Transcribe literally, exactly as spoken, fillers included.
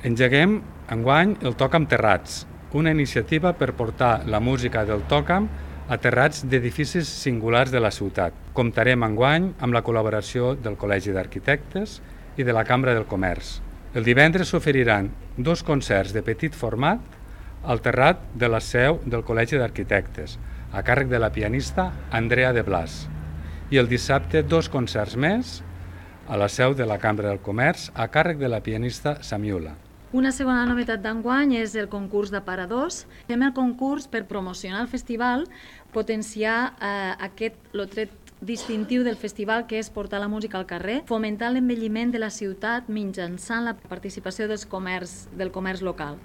Engeguem enguany el Tòcam Terrats, una iniciativa per portar la música del Tòcam a terrats d'edificis singulars de la ciutat. Comptarem enguany amb la col·laboració del Col·legi d'Arquitectes i de la Cambra del Comerç. El divendres s'oferiran dos concerts de petit format al terrat de la seu del Col·legi d'Arquitectes, a càrrec de la pianista Andrea de Blas. I el dissabte dos concerts més a la seu de la Cambra del Comerç, a càrrec de la pianista Samiula. Una segona novetat d'enguany és el concurs d'aparadors. Fem el concurs per promocionar el festival, potenciar eh, aquest lo tret distintiu del festival, que és portar la música al carrer, fomentar l'envelliment de la ciutat mitjançant la participació dels comerç, del comerç local.